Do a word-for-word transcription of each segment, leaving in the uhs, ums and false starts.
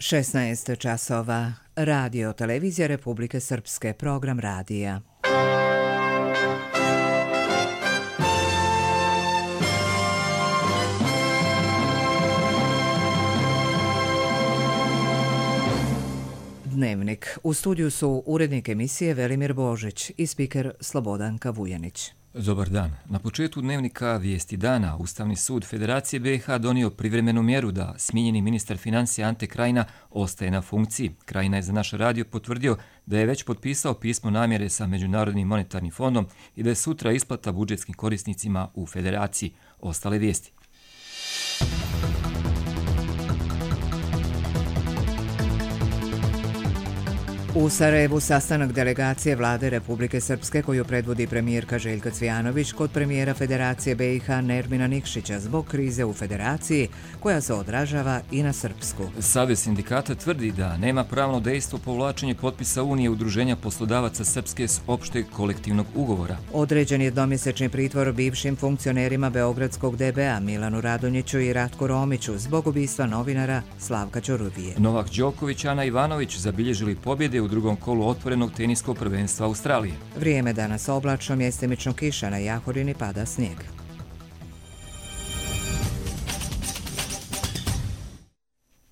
šesnaest časova. Radio Televizija Republike Srpske. Program radija. Dnevnik. U studiju su urednik emisije Velimir Božić i spiker Slobodanka Vujanić. Dobar dan. Na početku dnevnika Vijesti dana Ustavni sud Federacije B i H donio privremenu mjeru da smijenjeni ministar financija Ante Krajina ostaje na funkciji. Krajina je za naš radio potvrdio da je već potpisao pismo namjere sa Međunarodnim monetarnim fondom i da je sutra isplata budžetskim korisnicima u Federaciji. Ostale vijesti. U Sarajevu sastanak delegacije Vlade Republike Srpske koju predvodi premijerka Željka Cvijanović kod premijera Federacije B i H Nermina Nikšića zbog krize u Federaciji koja se odražava i na Srpsku. Savez sindikata tvrdi da nema pravno dejstvo povlačenje potpisa Unije Udruženja poslodavaca Srpske s opšteg kolektivnog ugovora. Određen je dvomjesečni pritvor bivšim funkcionerima Beogradskog D B A Milanu Radonjiću i Ratku Romiću zbog ubistva novinara Slavka Ćoruvije. Novak Đoković i Ana Ivanović zabilježili pobjede u drugom kolu otvorenog teniskog prvenstva Australije. Vrijeme danas oblačno, mjestimično kiša, na Jahorini pada snijeg.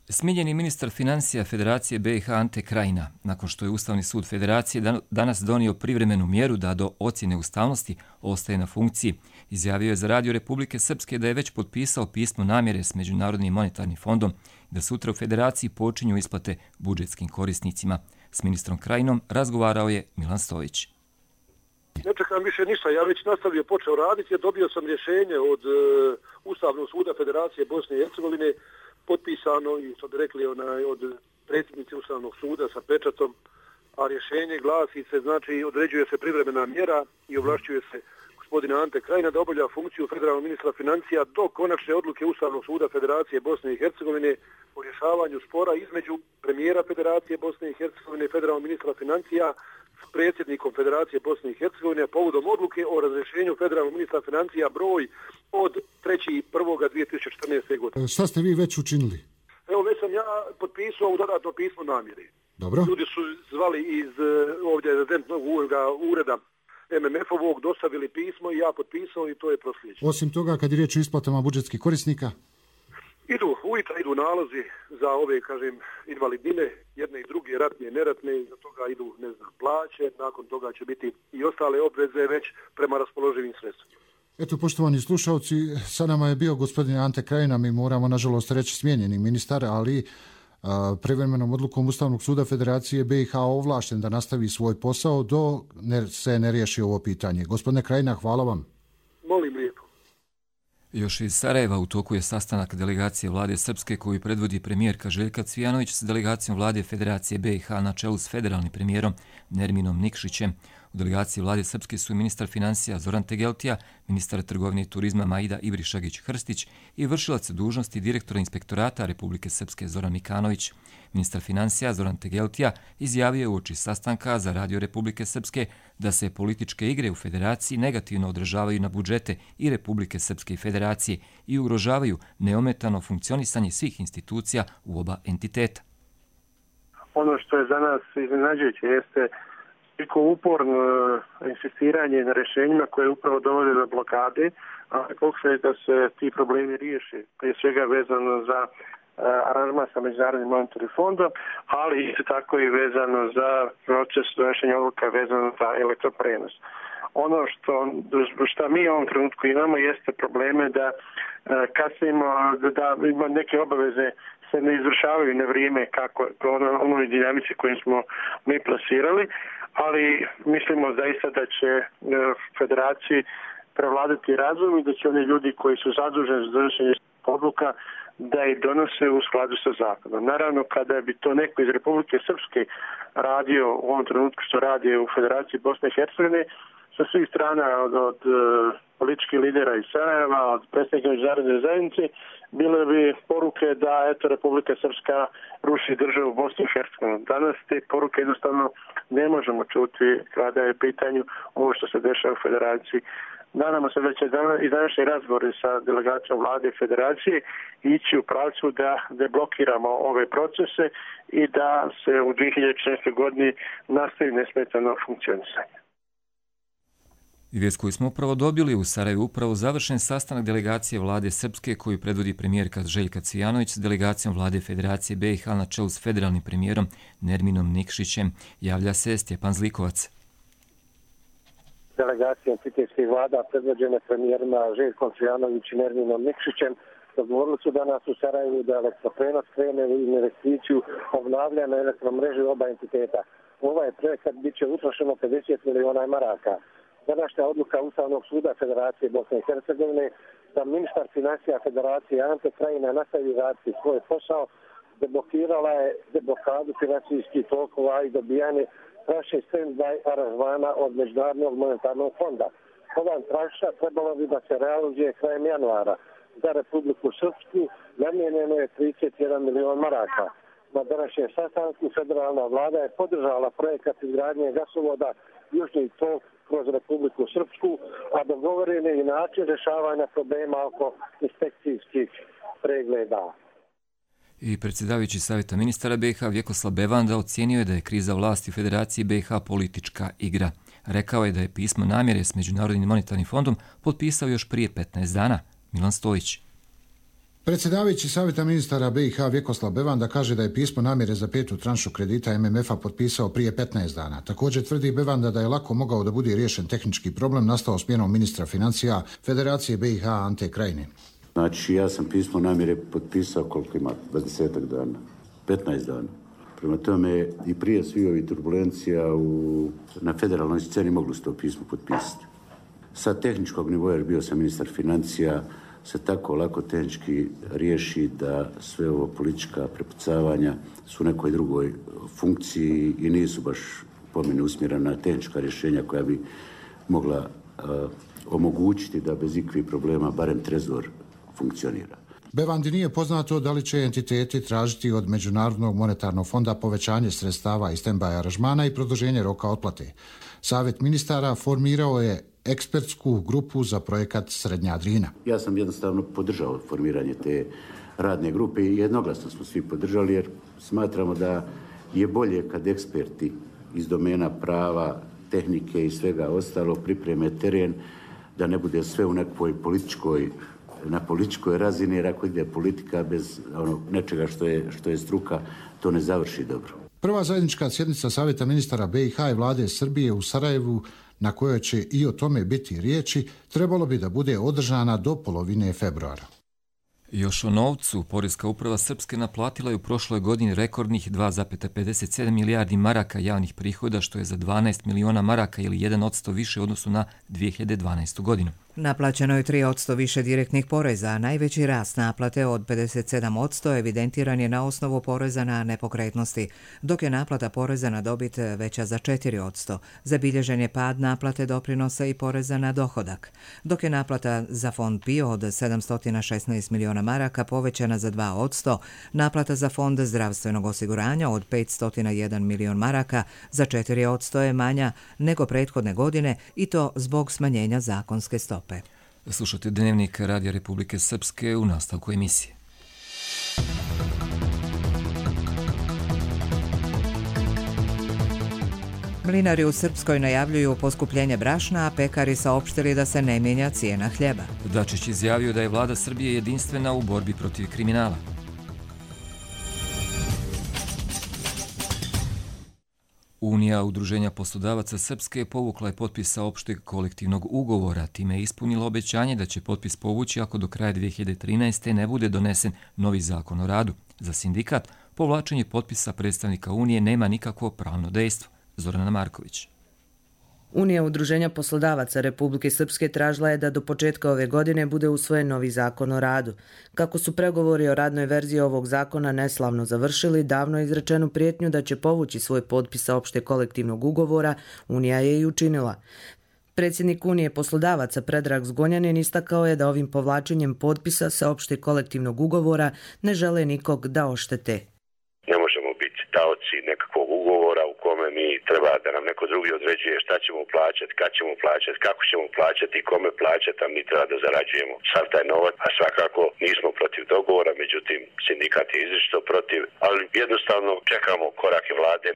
Smijenjeni ministar financija Federacije B i H Ante Krajina, nakon što je Ustavni sud Federacije danas donio privremenu mjeru da do ocjene ustavnosti ostaje na funkciji, izjavio je za Radio Republike Srpske da je već potpisao pismo namjere s Međunarodnim monetarnim fondom i da sutra u Federaciji počinju isplate budžetskim korisnicima. S ministrom Krajinom razgovarao je Milan Stojić. Ne čekam više ništa, ja već nastavio, počeo raditi, dobio sam rješenje od uh, Ustavnog suda Federacije Bosne i Hercegovine, potpisano i što bi rekli onaj, od predsjednice Ustavnog suda sa pečatom, a rješenje glasi se, znači određuje se privremena mjera i ovlašćuje se gospodina Ante Krajina da obavlja funkciju federalnog ministra financija do konačne odluke Ustavnog suda Federacije Bosne i Hercegovine o rješavanju spora između premijera Federacije Bosne i Hercegovine i federalnog ministra financija s predsjednikom Federacije Bosne i Hercegovine povodom odluke o razrješenju federalnog ministra financija broj od trećeg prvog dvije tisuće četrnaeste. godine. Šta ste vi već učinili? Evo, već sam ja potpisao u dodatno pismo namjeri. Dobro. Ljudi su zvali iz ovdje rezidentnog ureda M M F-ovog, dostavili pismo i ja potpisao i to je proslijeđeno. Osim toga, kad je riječ o isplatama budžetskih korisnika? Idu, ujutro idu nalozi za ove, kažem, invalidnine, jedne i druge, ratne i neratne, za toga idu, ne znam, plaće, nakon toga će biti i ostale obveze već prema raspoloživim sredstvima. Eto, poštovani slušalci, sa nama je bio gospodin Ante Krajina, mi moramo, nažalost, reći smijenjeni ministar, ali a, privremenom odlukom Ustavnog suda Federacije B i H ovlašten da nastavi svoj posao do ne, se ne riješi ovo pitanje. Gospodine Krajina, hvala vam. Molim lijepo. Još iz Sarajeva u toku je sastanak delegacije Vlade Srpske koju predvodi premijerka Željka Cvijanović s delegacijom Vlade Federacije B i H na čelu s federalnim premijerom Nerminom Nikšićem. U delegaciji Vlade Srpske su ministar financija Zoran Tegeltija, ministar trgovine i turizma Maida Ibrišagić-Hrstić i vršilac dužnosti direktora inspektorata Republike Srpske Zoran Mikanović. Ministar financija Zoran Tegeltija izjavio je uoči sastanka za Radio Republike Srpske da se političke igre u Federaciji negativno odražavaju na budžete i Republike Srpske i Federacije i ugrožavaju neometano funkcionisanje svih institucija u oba entiteta. Ono što je za nas iznenađujuće jeste toliko uporno insistiranje na rješenjima koje upravo dovode do blokade, a pokušaj da se ti problemi riješe, prije svega vezano za aranžman sa Međunarodnim monetarnim fondom, ali isto tako i vezano za proces donošenja odluka vezano za elektroprenos. Ono što, što mi u ovom trenutku imamo jeste probleme da kasnimo, da ima neke obaveze se ne izvršavaju na vrijeme kako ono, onoj dinamici koju smo mi plasirali, ali mislimo zaista da će federaciji prevladati razum i da će oni ljudi koji su zaduženi za donošenje odluka da ih donose u skladu sa zakonom. Naravno, kada bi to neko iz Republike Srpske radio u ovom trenutku što radi u Federaciji Bosne i Hercegovine, sa svih strana od, od političkih lidera iz Sarajeva, od predstavnika međunarodne zajednice, bile bi poruke da eto Republika Srpska ruši državu Bosne i Hercegovine. Danas te poruke jednostavno ne možemo čuti kada je pitanju ovo što se dešava u Federaciji Nadamo se da će i današnji razgovori sa delegacijom vlade i federacije ići u pravcu da deblokiramo ove procese i da se u dvije hiljade četrnaestoj godini nastavi nesmetano funkcionisanje. I vijest koju smo upravo dobili, u Sarajevu upravo završen sastanak delegacije vlade Srpske koju predvodi premijerka Željka Cvijanović s delegacijom vlade Federacije B i H na čelu s federalnim premijerom Nerminom Nikšićem. Javlja se Stjepan Zlikovac. Delegacija entitejskih vlada predvođene premijerima Željkom Cvijanović i Nerminom Nikšićem dogovorili su danas u Sarajevu da elektroprenos krene u investiciju obnavljanja elektromreže oba entiteta. Ovaj projekat bit će utrošeno pedeset miliona maraka. Današnja odluka Ustavnog suda Federacije Bosne i Hercegovine da ministar financija Federacije Ante Krajina nastavi raditi svoj posao deblokirala je deblokadu financijskih tokova i dobijanje tranše stand-by aranžmana od Međunarodnog monetarnog fonda. Ova tranša trebalo bi da se realizuje krajem januara. Za Republiku Srpsku namijenjeno je trideset jedan milion maraka. Na današnjem sastanku federalna vlada je podržala projekat izgradnje gasovoda Južni tok kroz Republiku Srpsku, a dogovoren je i način rješavanja problema oko inspekcijskih pregleda. I predsjedavajući savjeta ministara B i H Vjekoslav Bevanda ocijenio je da je kriza vlasti u Federaciji B i H politička igra. Rekao je da je pismo namjere s Međunarodnim monetarnim fondom potpisao još prije petnaest dana. Milan Stojić. Predsjedavajući savjeta ministara B i H Vjekoslav Bevanda kaže da je pismo namjere za petu tranšu kredita M M F-a potpisao prije petnaest dana. Također tvrdi Bevanda da je lako mogao da bude riješen tehnički problem nastao smjenom ministra financija Federacije B i H Ante Krajine. Znači, ja sam pismo namjere potpisao koliko ima, dvadesetak dana, petnaest dana. Prema tome i prije svih ovih turbulencija u, na federalnoj sceni moglo se to pismo potpisati. Sa tehničkog nivoja, jer bio sam ministar financija, se tako lako tehnički riješi da sve ovo politička prepucavanja su u nekoj drugoj funkciji i nisu baš po meni usmjerena na tehnička rješenja koja bi mogla uh, omogućiti da bez ikvih problema barem trezor funkcionira. Bevandi nije poznato da li će entiteti tražiti od Međunarodnog monetarnog fonda povećanje sredstava i stand-by aranžmana i produženje roka otplate. Savjet ministara formirao je ekspertsku grupu za projekat Srednja Drina. Ja sam jednostavno podržao formiranje te radne grupe i jednoglasno smo svi podržali jer smatramo da je bolje kad eksperti iz domena prava, tehnike i svega ostalo pripreme teren, da ne bude sve u nekoj političkoj na političkoj razini, jer ako ide politika bez ono, nečega što je, što je struka, to ne završi dobro. Prva zajednička sjednica Savjeta ministara B i H i vlade Srbije u Sarajevu, na kojoj će i o tome biti riječi, trebalo bi da bude održana do polovine februara. Još o novcu, Poreska uprava Srpske naplatila je u prošloj godini rekordnih dva zarez pedeset sedam milijardi maraka javnih prihoda, što je za dvanaest miliona maraka ili jedan posto više u odnosu na dvije hiljade dvanaestu. godinu. Naplaćeno je tri posto više direktnih poreza, a najveći rast naplate od pedeset sedam posto evidentiran je na osnovu poreza na nepokretnosti, dok je naplata poreza na dobit veća za četiri posto. Zabilježen je pad naplate doprinosa i poreza na dohodak, dok je naplata za fond P I O od sedamsto šesnaest miliona maraka povećana za dva posto, naplata za fond zdravstvenog osiguranja od petsto jedan milion maraka za četiri posto je manja nego prethodne godine i to zbog smanjenja zakonske stope. Slušajte Dnevnik Radija Republike Srpske u nastavku emisije. Mlinari u Srpskoj najavljuju poskupljenje brašna, a pekari saopštili da se ne mijenja cijena hljeba. Dačić izjavio da je vlada Srbije jedinstvena u borbi protiv kriminala. Unija udruženja poslodavaca Srpske povukla je potpisa opšteg kolektivnog ugovora, time je ispunila obećanje da će potpis povući ako do kraja dvije hiljade trinaeste. ne bude donesen novi zakon o radu. Za sindikat povlačenje potpisa predstavnika Unije nema nikakvo pravno dejstvo. Zorana Marković. Unija udruženja poslodavaca Republike Srpske tražila je da do početka ove godine bude usvojen novi zakon o radu. Kako su pregovori o radnoj verziji ovog zakona neslavno završili, davno je izrečenu prijetnju da će povući svoj potpis sa opšte kolektivnog ugovora, Unija je i učinila. Predsjednik Unije poslodavaca Predrag Zgonjanin istakao je da ovim povlačenjem potpisa sa opšte kolektivnog ugovora ne žele nikog da oštete. Ne možemo biti taoci nekakvog ugovora u kome mi treba da nam neko drugi određuje šta ćemo plaćati, kad ćemo plaćati, kako ćemo plaćati i kome plaćati, a mi treba da zarađujemo sav taj novac. A svakako nismo protiv dogovora, međutim sindikat je izričito protiv, ali jednostavno čekamo korake vlade.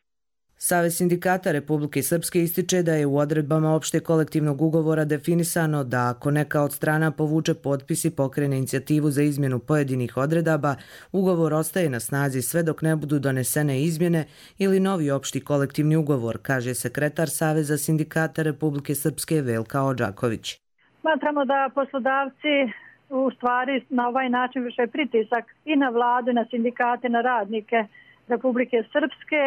Savez sindikata Republike Srpske ističe da je u odredbama opšte kolektivnog ugovora definisano da ako neka od strana povuče potpis i pokrene inicijativu za izmjenu pojedinih odredaba, ugovor ostaje na snazi sve dok ne budu donesene izmjene ili novi opšti kolektivni ugovor, kaže sekretar Saveza sindikata Republike Srpske Velka Odžaković. Smatramo da poslodavci u stvari na ovaj način vrše pritisak i na vladu, na sindikate, na radnike Republike Srpske,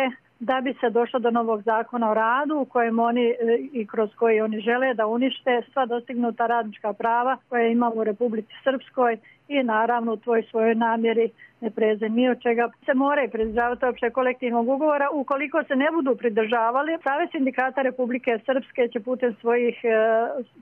da bi se došlo do novog zakona o radu u kojem oni i kroz koji oni žele da unište sva dostignuta radnička prava koje imamo u Republici Srpskoj i naravno u tvoj svojoj namjeri ne preze ni od čega se moraju pridržavati opšte kolektivnog ugovora. Ukoliko se ne budu pridržavali, Savez sindikata Republike Srpske će putem svojih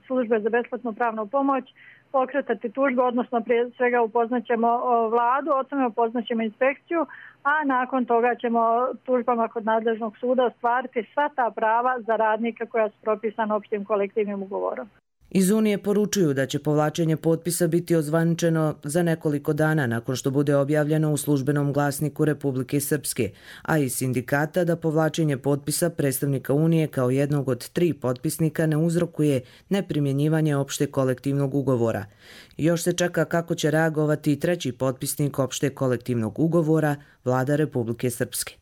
službe za besplatnu pravnu pomoć pokretati tužbu, odnosno prije svega upoznaćemo vladu, odnosno upoznaćemo inspekciju, a nakon toga ćemo tužbama kod nadležnog suda ostvariti sva ta prava za radnike koja su propisana opštim kolektivnim ugovorom. Iz Unije poručuju da će povlačenje potpisa biti ozvaničeno za nekoliko dana nakon što bude objavljeno u službenom glasniku Republike Srpske, a iz sindikata da povlačenje potpisa predstavnika Unije kao jednog od tri potpisnika ne uzrokuje neprimjenjivanje opšte kolektivnog ugovora. Još se čeka kako će reagovati i treći potpisnik opšte kolektivnog ugovora, vlada Republike Srpske.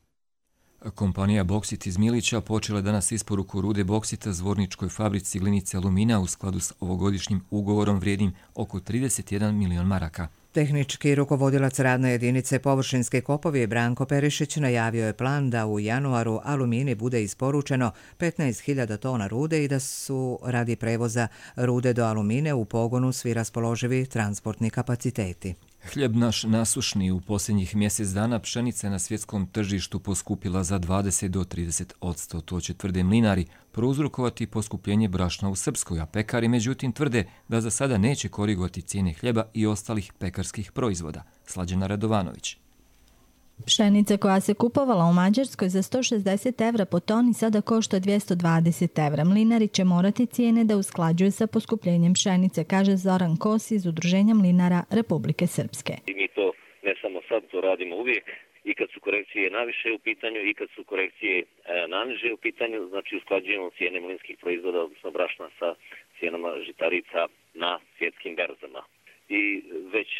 Kompanija Boksit iz Milića počela danas isporuku rude boksita Zvorničkoj fabrici glinice alumina u skladu s ovogodišnjim ugovorom vrijednim oko trideset jedan milion maraka. Tehnički rukovodilac radne jedinice Površinske kopovi Branko Perišić najavio je plan da u januaru Alumini bude isporučeno petnaest hiljada tona rude i da su radi prevoza rude do Alumine u pogonu svi raspoloživi transportni kapaciteti. Hljeb naš nasušni u posljednjih mjesec dana, pšenica je na svjetskom tržištu poskupila za dvadeset do trideset posto. To će, tvrde mlinari, prouzrokovati poskupljenje brašna u Srpskoj, a pekari međutim tvrde da za sada neće korigovati cijene hljeba i ostalih pekarskih proizvoda. Slađana Radovanović. Pšenica koja se kupovala u Mađarskoj za sto šezdeset evra po toni sada košta dvjesto dvadeset evra. Mlinari će morati cijene da usklađuju sa poskupljenjem pšenice, kaže Zoran Kos iz Udruženja mlinara Republike Srpske. I mi to ne samo sad, to radimo uvijek i kad su korekcije naviše u pitanju i kad su korekcije e, naniže u pitanju, znači usklađujemo cijene mlinskih proizvoda, odnosno brašna sa cijenama žitarica na svjetskim berzama. I već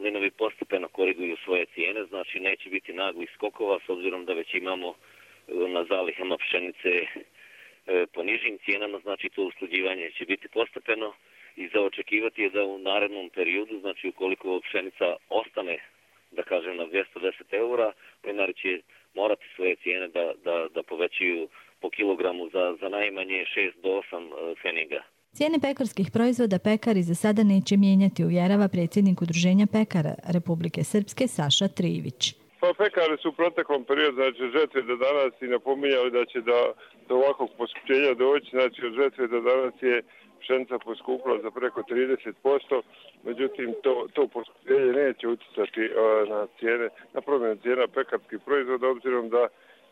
mlinovi postepeno koriguju svoje cijene, znači neće biti naglih skokova s obzirom da već imamo na zalihama pšenice po nižim cijenama, znači to usklađivanje će biti postepeno i za očekivati je da u narednom periodu, znači ukoliko pšenica ostane, da kažem, na dvjesto deset eura, mlinari će morati svoje cijene da, da, da povećaju po kilogramu za, za najmanje šest do osam pfeniga. Cijene pekarskih proizvoda pekari za sada neće mijenjati, uvjerava predsjednik Udruženja pekara Republike Srpske Saša Trivić. Pa pekari su u proteklom periodu, znači od žetve do danas i napominjali da će do, do ovakvog poskupljenja doći, znači od žetve do danas je pšenica poskupila za preko trideset posto, međutim to, to poskupljenje neće utjecati uh, na cijene, na promjenu cijena pekarskih proizvoda, obzirom da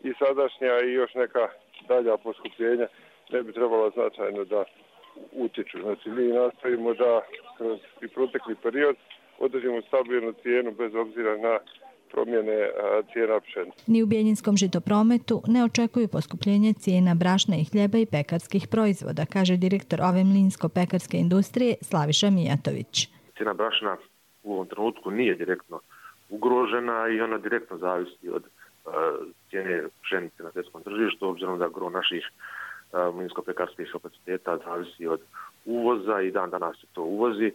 i sadašnja i još neka dalja poskupljenja ne bi trebala značajno da utječu. Znači mi nastavimo da kroz i protekli period održimo stabilnu cijenu bez obzira na promjene cijena pšenice. Ni u Bijeljinskom žitoprometu ne očekuju poskupljenje cijena brašna i hljeba i pekarskih proizvoda, kaže direktor ove mlinsko-pekarske industrije Slaviša Mijatović. Cijena brašna u ovom trenutku nije direktno ugrožena i ona direktno zavisi od uh, cijene pšenice na svjetskom tržištu, obzirom da gro naših mlinsko-pekarskih kapaciteta zavisi od uvoza i dan danas se to uvozi.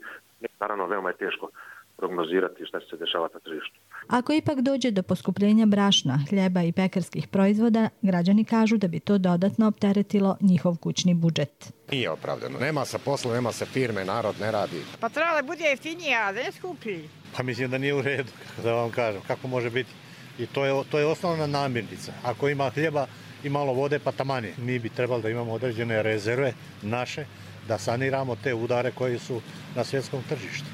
Naravno, veoma je teško prognozirati šta će se dešavati na tržištu. Ako ipak dođe do poskupljenja brašna, hljeba i pekarskih proizvoda, građani kažu da bi to dodatno opteretilo njihov kućni budžet. Nije opravdano. Nema se posla, nema se firme, narod ne radi. Pa trebalo da bude jeftinije, a ne skuplji. Pa mislim da nije u redu, da vam kažem. Kako može biti? I to je, to je osnovna namirnica. Ako ima hljeba i malo vode, pa tamani. Mi bi trebali da imamo određene rezerve naše, da saniramo te udare koji su na svjetskom tržištu.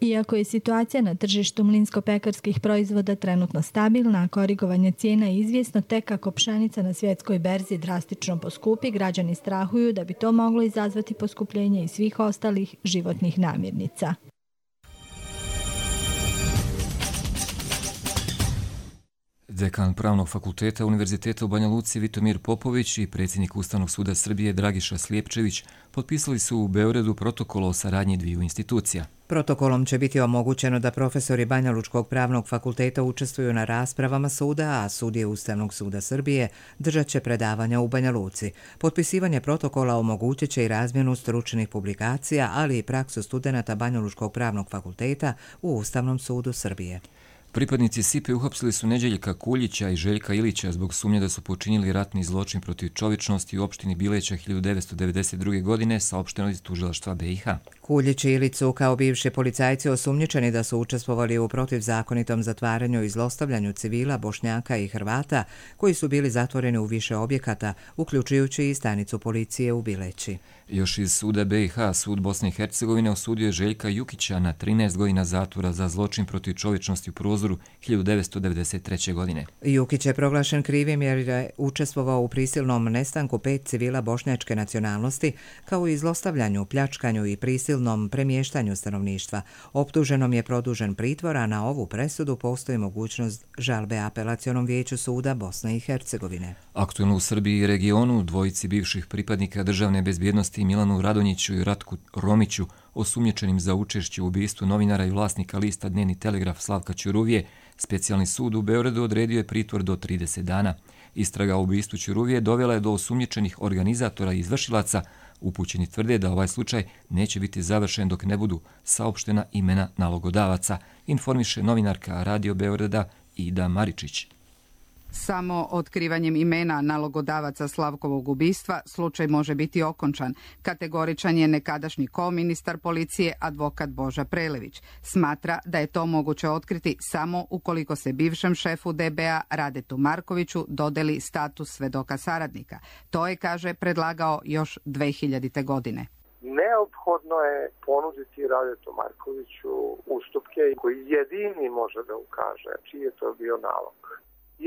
Iako je situacija na tržištu mlinsko-pekarskih proizvoda trenutno stabilna, a korigovanje cijena je izvjesno, tek kako pšenica na svjetskoj berzi drastično poskupi, građani strahuju da bi to moglo izazvati poskupljenje i svih ostalih životnih namirnica. Dekan Pravnog fakulteta Univerziteta u Banja Luci Vitomir Popović i predsjednik Ustavnog suda Srbije Dragiša Slijepčević potpisali su u Beogradu protokol o saradnji dviju institucija. Protokolom će biti omogućeno da profesori Banja Lučkog pravnog fakulteta učestvuju na raspravama suda, a sudije Ustavnog suda Srbije držat će predavanja u Banja Luci. Potpisivanje protokola omogućit će i razmjenu stručnih publikacija, ali i praksu studenata Banja Lučkog pravnog fakulteta u Ustavnom sudu Srbije. Pripadnici S I P E uhapsili su Neđeljka Kuljića i Željka Ilića zbog sumnje da su počinili ratni zločin protiv čovječnosti u opštini Bileća hiljadu devetsto devedeset druge. godine, saopšteno iz tužilaštva B i H. Kuljić i Ilić su kao bivši policajci osumnjičeni da su učestvovali u protivzakonitom zatvaranju i zlostavljanju civila, Bošnjaka i Hrvata koji su bili zatvoreni u više objekata, uključujući i stanicu policije u Bileći. Još iz suda B i H, sud Bosne i Hercegovine osudio je Željka Jukića na trinaest godina zatvora za zločin protiv čovječnosti u Prozoru hiljadu devetsto devedeset treće. godine. Jukić je proglašen krivim jer je učestvovao u prisilnom nestanku pet civila bošnjačke nacionalnosti, kao i zlostavljanju, pljačkanju i prisilnom premještanju stanovništva. Optuženom je produžen pritvor, a na ovu presudu postoji mogućnost žalbe Apelacionom vijeću suda Bosne i Hercegovine. Aktuelno u Srbiji i regionu dvojici bivših pripadnika državne bezbjednosti Milanu Radonjiću i Ratku Romiću, osumnjičenim za učešće u ubistvu novinara i vlasnika lista Dnevni telegraf Slavka Ćuruvije, specijalni sud u Beogradu odredio je pritvor do trideset dana. Istraga o ubistvu Ćuruvije dovela je do osumnjičenih organizatora i izvršilaca. Upućeni tvrde da ovaj slučaj neće biti završen dok ne budu saopštena imena nalogodavaca, informiše novinarka Radio Beograda Ida Maričić. Samo otkrivanjem imena nalogodavaca Slavkovog ubistva slučaj može biti okončan. Kategoričan je nekadašnji ko-ministar policije advokat Boža Prelević. Smatra da je to moguće otkriti samo ukoliko se bivšem šefu D B A Radetu Markoviću dodeli status svedoka saradnika. To je, kaže, predlagao još dve hiljadite. godine. Neophodno je ponuditi Radetu Markoviću ustupke koji jedini može da ukaže čiji je to bio nalog.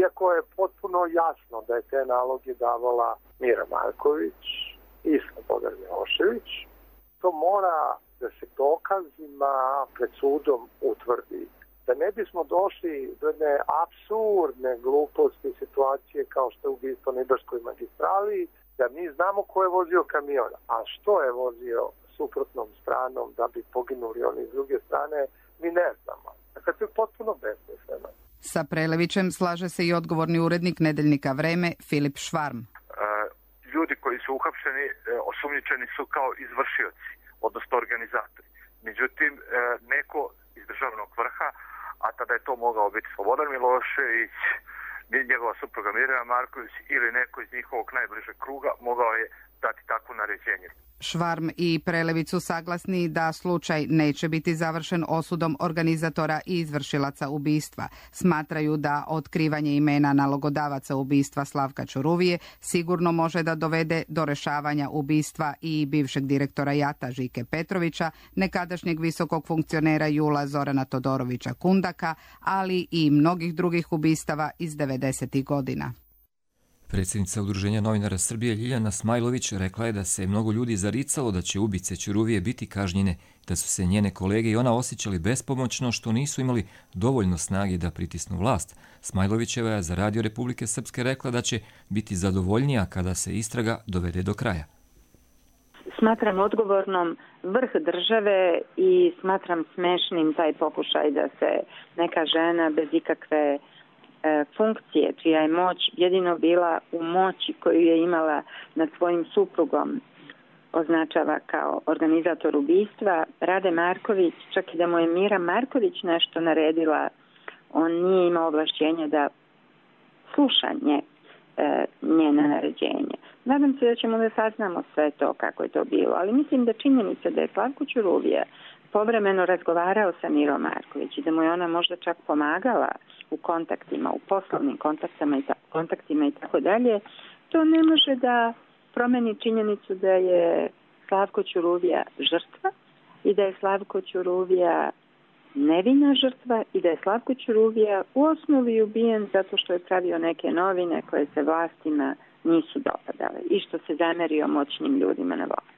Iako je potpuno jasno da je te naloge davala Mira Marković i Slobodan Milošević, to mora da se dokazima pred sudom utvrdi. Da ne bismo došli do jedne apsurdne gluposti situacije kao što je ubistvo na Ibarskoj magistrali, da mi znamo ko je vozio kamion, a što je vozio suprotnom stranom da bi poginuli oni s druge strane, mi ne znamo. Dakle, to je potpuno besmisleno. Sa Prelevićem slaže se i odgovorni urednik nedeljnika Vreme Filip Švarm. Ljudi koji su uhapšeni, osumnjičeni su kao izvršioci, odnosno organizatori. Međutim, neko iz državnog vrha, a tada je to mogao biti Slobodan Milošević, njegova supruga Mirjana Marković ili neko iz njihovog najbližeg kruga, mogao je dati takvo naređenje. Švarm i Prelević su saglasni da slučaj neće biti završen osudom organizatora i izvršilaca ubistva. Smatraju da otkrivanje imena nalogodavaca ubistva Slavka Ćuruvije sigurno može da dovede do rešavanja ubistva i bivšeg direktora Jata Žike Petrovića, nekadašnjeg visokog funkcionera Jula Zorana Todorovića Kundaka, ali i mnogih drugih ubistava iz devedesetih. godina. Predsjednica Udruženja novinara Srbije Ljiljana Smajlović rekla je da se mnogo ljudi zaricalo da će ubice Ćuruvije biti kažnjene, da su se njene kolege i ona osjećali bespomoćno što nisu imali dovoljno snage da pritisnu vlast. Smajlovićeva je za Radio Republike Srpske rekla da će biti zadovoljnija kada se istraga dovede do kraja. Smatram odgovornom vrh države i smatram smešnim taj pokušaj da se neka žena bez ikakve funkcije, čija je moć jedino bila u moći koju je imala nad svojim suprugom, označava kao organizator ubistva. Rade Marković, čak i da mu je Mira Marković nešto naredila, on nije imao ovlašćenja da sluša nje, njena naređenja. Nadam se da ćemo da saznamo sve to kako je to bilo, ali mislim da činjenica da je Slavko Ćuruvija povremeno razgovarao sa Mirom Marković i da mu je ona možda čak pomagala u kontaktima, u poslovnim kontaktima i, ta, kontaktima i tako dalje, to ne može da promeni činjenicu da je Slavko Ćuruvija žrtva i da je Slavko Ćuruvija nevina žrtva i da je Slavko Ćuruvija u osnovi ubijen zato što je pravio neke novine koje se vlastima nisu dopadale i što se zamerio moćnim ljudima na vlasti.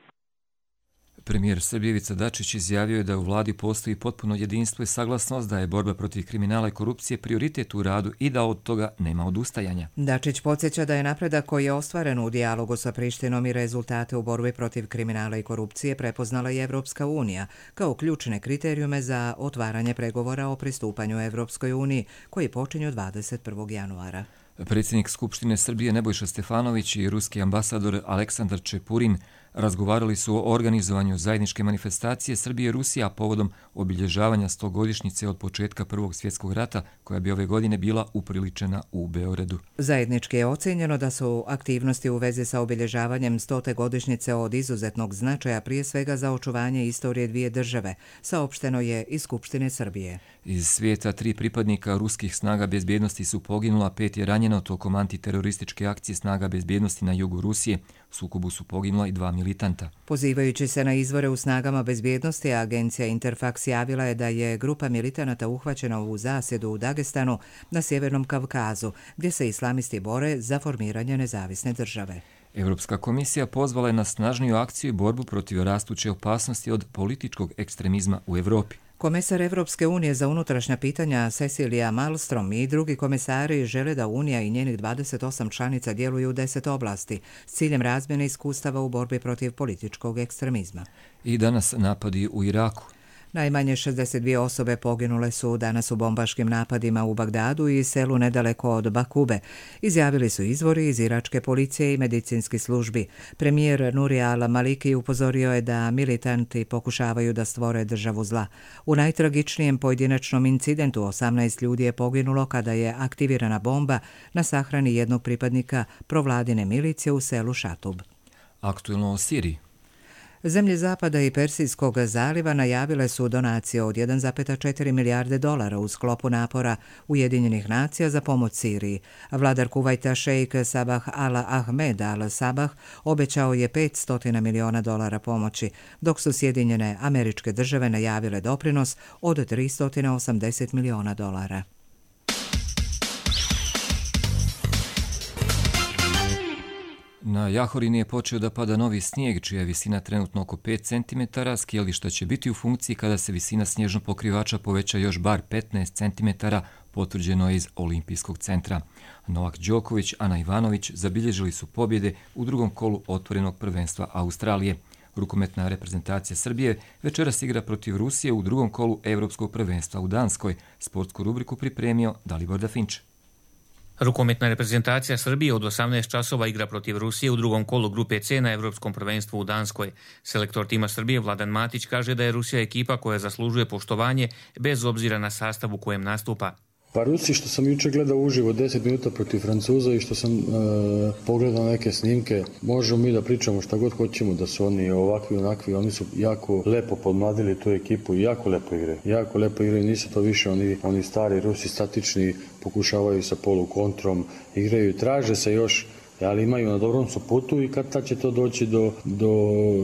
Premijer Srbije Ivica Dačić izjavio je da u vladi postoji potpuno jedinstvo i saglasnost da je borba protiv kriminala i korupcije prioritet u radu i da od toga nema odustajanja. Dačić podsjeća da je napredak koji je ostvaren u dijalogu sa Prištinom i rezultate u borbi protiv kriminala i korupcije prepoznala i Evropska unija kao ključne kriterijume za otvaranje pregovora o pristupanju Evropskoj uniji koji počinju dvadeset prvog januara. Predsjednik Skupštine Srbije Nebojša Stefanović i ruski ambasador Aleksandar Čepurin razgovarali su o organizovanju zajedničke manifestacije Srbije i Rusija povodom obilježavanja stogodišnjice od početka Prvog svjetskog rata, koja bi ove godine bila upriličena u Beogradu. Zajednički je ocjenjeno da su aktivnosti u vezi sa obilježavanjem stote godišnjice od izuzetnog značaja, prije svega za očuvanje istorije dvije države, saopšteno je iz Skupštine Srbije. Iz svijeta tri pripadnika ruskih snaga bezbjednosti su poginula, pet je ranjeno tokom antiterorističke akcije snaga bezbjednosti na jugu Rusije. U sukobu su poginula i dva militanta. Pozivajući se na izvore u snagama bezbjednosti, agencija Interfax javila je da je grupa militanata uhvaćena u zasjedu u Dagestanu na Sjevernom Kavkazu, gdje se islamisti bore za formiranje nezavisne države. Europska komisija pozvala je na snažniju akciju i borbu protiv rastuće opasnosti od političkog ekstremizma u Evropi. Komesar Evropske unije za unutrašnja pitanja Cecilia Malmström i drugi komesari žele da Unija i njenih dvadeset osam članica djeluju u deset oblasti s ciljem razmjene iskustava u borbi protiv političkog ekstremizma. I danas napadi u Iraku. Najmanje šezdeset dvije osobe poginule su danas u bombaškim napadima u Bagdadu i selu nedaleko od Bakube, izjavili su izvori iz iračke policije i medicinskih službi. Premijer Nuri al-Maliki upozorio je da militanti pokušavaju da stvore državu zla. U najtragičnijem pojedinačnom incidentu osamnaest ljudi je poginulo kada je aktivirana bomba na sahrani jednog pripadnika provladine milicije u selu Šatub. Aktuelno o Siriji. Zemlje Zapada i Persijskog zaliva najavile su donacije od jedan zarez četiri milijarde dolara u sklopu napora Ujedinjenih nacija za pomoć Siriji. Vladar Kuvajta šejk Sabah al-Ahmed al-Sabah obećao je petsto miliona dolara pomoći, dok su Sjedinjene Američke Države najavile doprinos od tristo osamdeset miliona dolara. Na Jahorini je počeo da pada novi snijeg, čija je visina trenutno oko pet centimetara. Skijališta će biti u funkciji kada se visina snježnog pokrivača poveća još bar petnaest centimetara, potvrđeno je iz Olimpijskog centra. Novak Đoković, Ana Ivanović zabilježili su pobjede u drugom kolu otvorenog prvenstva Australije. Rukometna reprezentacija Srbije večeras igra protiv Rusije u drugom kolu Evropskog prvenstva u Danskoj. Sportsku rubriku pripremio Dalibor Dafinč. Rukometna reprezentacija Srbije od osamnaest časova igra protiv Rusije u drugom kolu grupe C na Evropskom prvenstvu u Danskoj. Selektor tima Srbije Vladan Matić kaže da je Rusija ekipa koja zaslužuje poštovanje bez obzira na sastav u kojem nastupa. Pa Rusi, što sam juče gledao uživo deset minuta protiv Francuza i što sam e, pogledao neke snimke, možemo mi da pričamo šta god hoćemo, da su oni ovakvi onakvi, oni su jako lepo podmladili tu ekipu i jako lepo igre. Jako lepo igre, nisu to više oni, oni stari Rusi statični, pokušavaju sa polu kontrom, igraju i traže se još, ali imaju na dobrom su putu i kad tad će to doći do, do,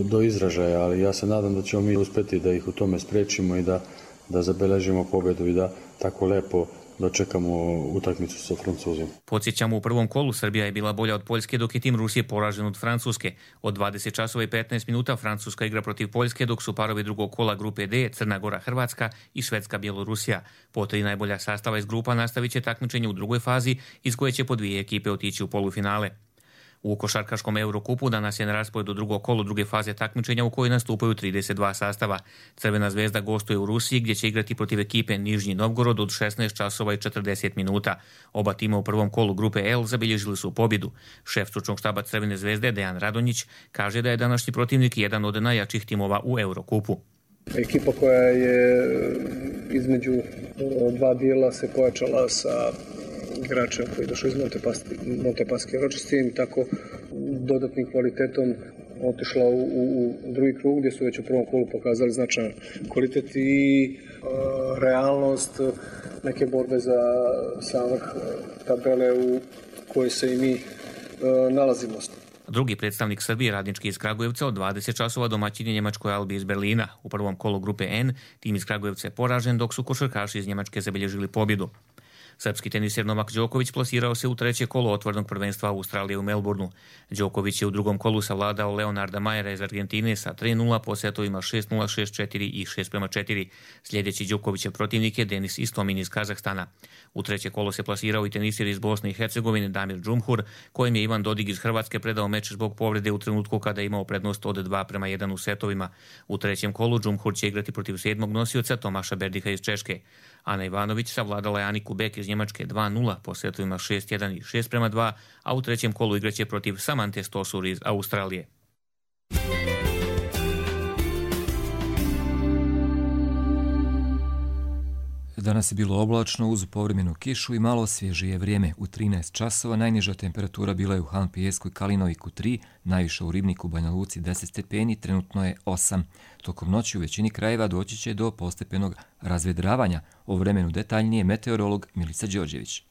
do izražaja, ali ja se nadam da ćemo mi uspjeti da ih u tome sprečimo i da, da zabeležimo pobjedu i da tako lepo dočekamo utakmicu sa Francuzima. Podsjećamo, u prvom kolu Srbija je bila bolja od Poljske, dok je tim Rusije poražen od Francuske. Od dvadeset časova i petnaest minuta Francuska igra protiv Poljske, dok su parovi drugog kola grupe D, Crna Gora, Hrvatska i Švedska, Bjelorusija. Po tri najbolja sastava iz grupa nastavit će takmičenje u drugoj fazi, iz koje će po dvije ekipe otići u polufinale. U košarkaškom Eurokupu danas je na rasporedu drugo kolo druge faze takmičenja u kojoj nastupaju trideset dva sastava. Crvena zvezda gostuje u Rusiji, gdje će igrati protiv ekipe Nižnji Novgorod od šesnaest časova i četrdeset minuta. Oba tima u prvom kolu grupe L zabilježili su pobjedu. Šef stručnog štaba Crvene zvezde Dejan Radonjić kaže da je današnji protivnik jedan od najjačih timova u Eurokupu. Ekipa koja je između dva dijela se pojačala sa igračem koji je došao iz Montepaske Ročestim, tako dodatnim kvalitetom otišla u, u, u drugi krug gdje su već u prvom kolu pokazali značajan kvalitet i uh, realnost neke borbe za sam vrh tabele u kojoj se i mi uh, nalazimo. Drugi predstavnik Srbije, radnički iz Kragujevca, od dvadeset časova domaćin je njemačkoj Albi iz Berlina. U prvom kolu grupe N tim iz Kragujevca je poražen, dok su košarkaši iz Njemačke zabilježili pobjedu. Srpski teniser Novak Đoković plasirao se u treće kolo otvorenog prvenstva Australije u Melbourneu. Đoković je u drugom kolu savladao Leonarda Majera iz Argentine sa tri nula po setovima šest nula, šest četiri i šest prema četiri. Sljedeći Đokovićev protivnik je Denis Istomin iz Kazahstana. U treće kolo se plasirao i teniser iz Bosne i Hercegovine Damir Džumhur, kojem je Ivan Dodig iz Hrvatske predao meč zbog povrede u trenutku kada je imao prednost od dva prema jedan u setovima. U trećem kolu Džumhur će igrati protiv sedmog nosioca Tomaša Berdiha iz Češke. Ana Ivanović savladala je Aniku Bek iz Njemačke dva nula po setovima šest jedan i šest prema dva, a u trećem kolu igraće protiv Samante Stosur iz Australije. Danas je bilo oblačno uz povremenu kišu i malo svježije vrijeme. U trinaest časova najniža temperatura bila je u Han Pijesku i Kalinoviku tri, najviša u Ribniku, Banja Luci deset stepeni, trenutno je osam. Tokom noći u većini krajeva doći će do postepenog razvedravanja. O vremenu detaljnije meteorolog Milica Đorđević.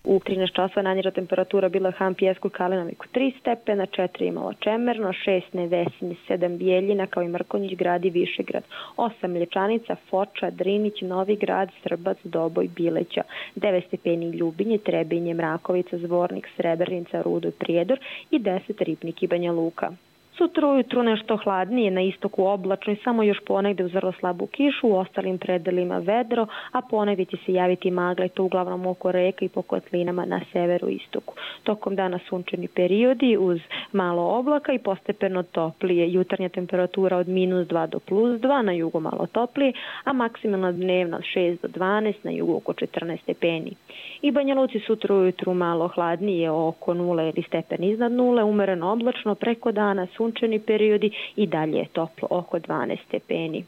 U trinaest časova najniža temperatura bila je Han Pijesku i Kalinoviku tri stepena, četiri imalo Čemerno, šest Nevesin, sedam Bijeljina kao i Mrkonjić grad i Višegrad, osam Mlječanica, Foča, Drinić, Novi grad, Srbac, Doboj, Bileća, devet stepeni Ljubinje, Trebinje, Mrakovica, Zvornik, Srebrnica, Rudo i Prijedor i deset Ribnik i Banja Luka. Sutra ujutru nešto hladnije, na istoku oblačno i samo još ponegde uz vrlo slabu kišu, u ostalim predelima vedro, a ponegde će se javiti magla i to uglavnom oko reka i po kotlinama na severu i istoku. Tokom dana sunčani periodi uz malo oblaka i postepeno toplije. Jutarnja temperatura od minus dva do plus dva, na jugu malo toplije, a maksimalna dnevna od šest do dvanaest, na jugu oko četrnaest stepeni. I Banja Luci sutra ujutru malo hladnije, oko nule ili stepen iznad nule, umereno oblačno, preko dana sunčani periodi i dalje je toplo oko dvanaest stepeni.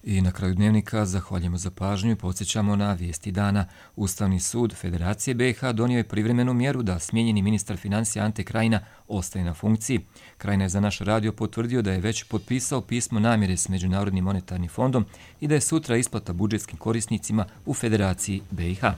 I na kraju dnevnika zahvaljujemo za pažnju i podsjećamo na vijesti dana. Ustavni sud Federacije B i H donio je privremenu mjeru da smijenjeni ministar financija Ante Krajina ostaje na funkciji. Krajina je za naš radio potvrdio da je već potpisao pismo namjere s Međunarodnim monetarnim fondom i da je sutra isplata budžetskim korisnicima u Federaciji B i H.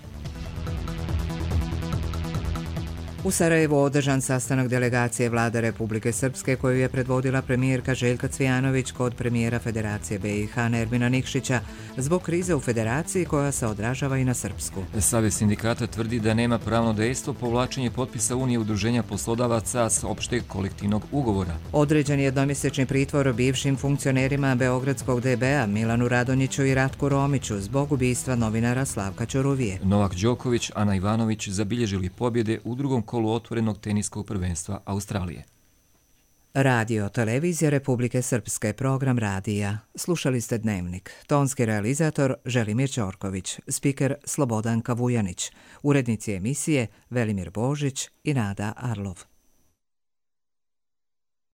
U Sarajevu održan sastanak delegacije Vlade Republike Srpske koju je predvodila premijerka Željka Cvijanović kod premijera Federacije B i H Nermina Nikšića zbog krize u Federaciji koja se odražava i na Srpsku. Savez sindikata tvrdi da nema pravno dejstvo povlačenje potpisa Unije udruženja poslodavaca s opšteg kolektivnog ugovora. Određen je jednomjesečni pritvor bivšim funkcionerima Beogradskog D B-a Milanu Radonjiću i Ratku Romiću zbog ubistva novinara Slavka Ćuruvije. Novak Đoković, Ana Ivanović zabilježili pobjede u drugom kolu otvorenog teniskog prvenstva Australije. Radio Televizija Republike Srpske, program radija. Slušali ste Dnevnik. Tonski realizator Želimir Ćorković, spiker Slobodanka Vujanić, urednici emisije Velimir Božić i Nada Arlov.